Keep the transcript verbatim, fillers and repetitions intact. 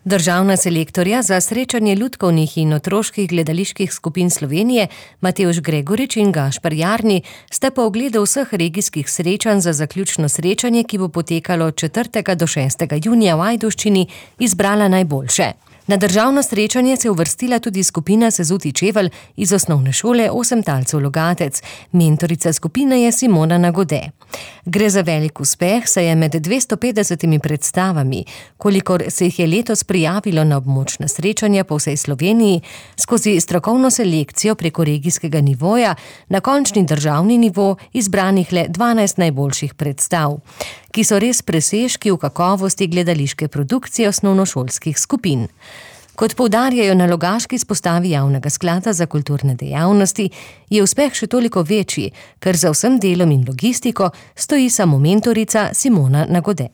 Državna selektorja za srečanje lutkovnih in otroških gledaliških skupin Slovenije, Matevž Gregorič in Gašper Jarni, sta po ogledu vseh regijskih srečanj za zaključno srečanje, ki bo potekalo od četrtega do šestega junija v Ajdovščini, izbrala najboljše. Na državno srečanje se je uvrstila tudi skupina Sezuti Čevelj iz osnovne šole Osem talcev Logatec. Mentorica skupine je Simona Nagode. Gre za velik uspeh, saj je med dvesto petdesetimi predstavami, kolikor se jih je letos prijavilo na območna srečanja po vsej Sloveniji, skozi strokovno selekcijo preko regijskega nivoja na končni državni nivo izbranih le dvanajst najboljših predstav, ki so res presežki v kakovosti gledališke produkcije osnovnošolskih skupin. Kot poudarjajo na logaški izpostavi Javnega sklada za kulturne dejavnosti, je uspeh še toliko večji, ker za vsem delom in logistiko stoji samo mentorica Simona Nagode.